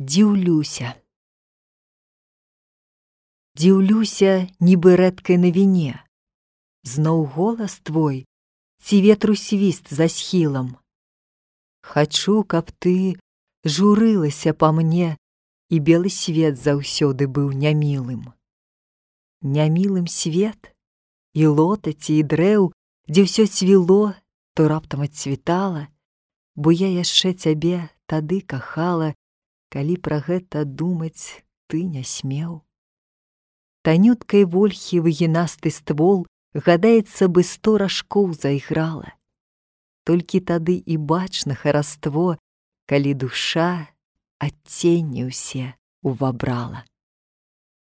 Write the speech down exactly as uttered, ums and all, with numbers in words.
Дзіўлюся. Дзіўлюся, нібы рэдкай навіне. Зноў голас твой, ці ветру свіст за схілам. Хачу, каб ты журылася па мне, і белы свет заўсёды быў нямілым. Нямілым свет, і лотаці, і дрэў, дзе ўсё цвіло, то раптам адцвітала, бо я яшчэ цябе тады кахала, калі пра гэта думаць ты не смеў. Танюткай вольхі выгінасты ствол, гадаецца бы, сто ражкоў зайграла. Толькі тады і бачна хараство, калі душа адценні ўсе увабрала.